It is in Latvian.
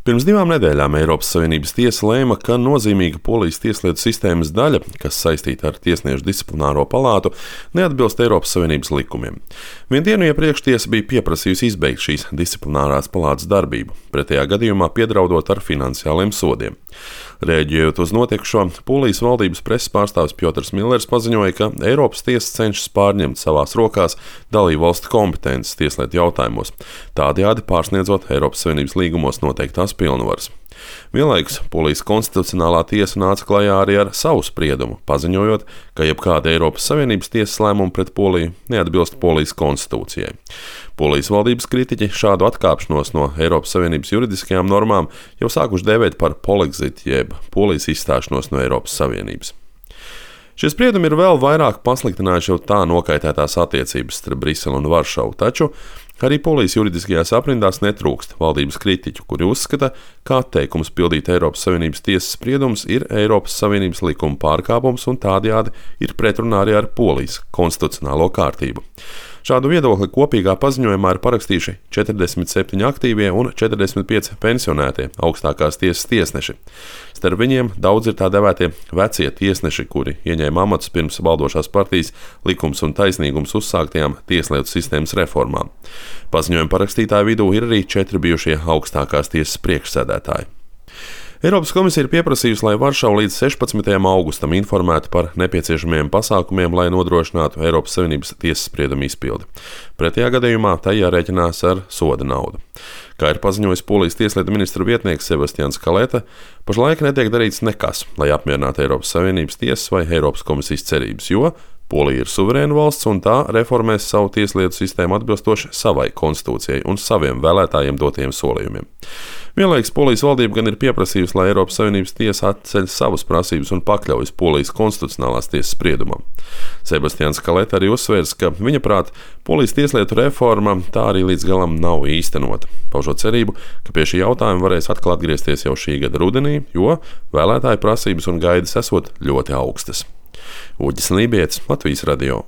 Pirms 2 nedēļām Eiropas Savienības tiesa lēma, ka nozīmīga Polijas tieslietu sistēmas daļa, kas saistīta ar tiesniešu disciplināro palātu, neatbilst Eiropas Savienības likumiem. Vienu dienu iepriekš tiesa bija pieprasījusi izbeigt šīs disciplinārās palātas darbību, pretējā gadījumā piedraudot ar finansiāliem sodiem. Rēģējot uz notikušo, Polijas valdības preses pārstāvis Piotrs Millers paziņoja, ka Eiropas tiesa cenšas pārņemt savās rokās dalībvalstu kompetences tieslietu jautājumos, tādējādi pārsniedzot Eiropas Savienības līgumos noteiktās pilnvaras. Vienlaikus Polijas konstitucionālā tiesa nāca klajā arī ar savu spriedumu, paziņojot, ka jebkāda Eiropas Savienības tiesas lēmuma pret Poliju neatbilst Polijas konstitūcijai. Polijas valdības kritiķi šādu atkāpšanos no Eiropas Savienības juridiskajām normām jau sākuši dēvēt par polexit, jeb Polijas izstāšanos no Eiropas Savienības. Šie spriedumi ir vēl vairāk pasliktinājuši jau tā nokaitētās attiecības starp Briseli un Varšavu, taču arī Polijas juridiskajās aprindās netrūkst valdības kritiķu, kuri uzskata, ka atteikums pildīt Eiropas Savienības tiesas spriedumus ir Eiropas Savienības likuma pārkāpums un tādējādi ir pretrunā arī ar Polijas konstitucionālo kārtību. Šādu viedokli kopīgā paziņojumā ir parakstījuši 47 aktīvie un 45 pensionētie augstākās tiesas tiesneši. Starp viņiem daudz ir tā devētie vecie tiesneši, kuri ieņēma amatus pirms valdošās partijas Likums un taisnīgums uzsāktajām tieslietu sistēmas reformām. Paziņojuma parakstītāju vidū ir arī 4 bijušie augstākās tiesas priekšsēdētāji. Eiropas komisija ir pieprasījusi, lai Varšava līdz 16. augustam informētu par nepieciešamiem pasākumiem, lai nodrošinātu Eiropas Savienības tiesas spriedumu izpildi. Pretējā gadījumā tai jārēķinās ar soda naudu. Kā ir paziņojis Polijas tieslietu ministra vietnieks Sebastians Kaleta, pašlaik netiek darīts nekas, lai apmierinātu Eiropas Savienības tiesas vai Eiropas komisijas cerības, jo Polija ir suverēna valsts un tā reformēs savu tieslietu sistēmu atbilstoši savai konstitūcijai un saviem vēlētājiem dotajiem solījumiem. Vienlaikus Polijas valdība gan ir pieprasījusi, lai Eiropas Savienības tiesa atceļ savas prasības un pakļaujas Polijas konstitucionālās tiesas spriedumam. Sebastians Kaleta arī uzsvērs, ka viņa prāt Polijas tieslietu reforma tā arī līdz galam nav īstenota, paužot cerību, ka pie šī jautājuma varēs atkal atgriezties jau šī gada rudenī, jo vēlētāju prasības un gaidas esot ļoti augstas. Uģis Lībietis, Latvijas radio.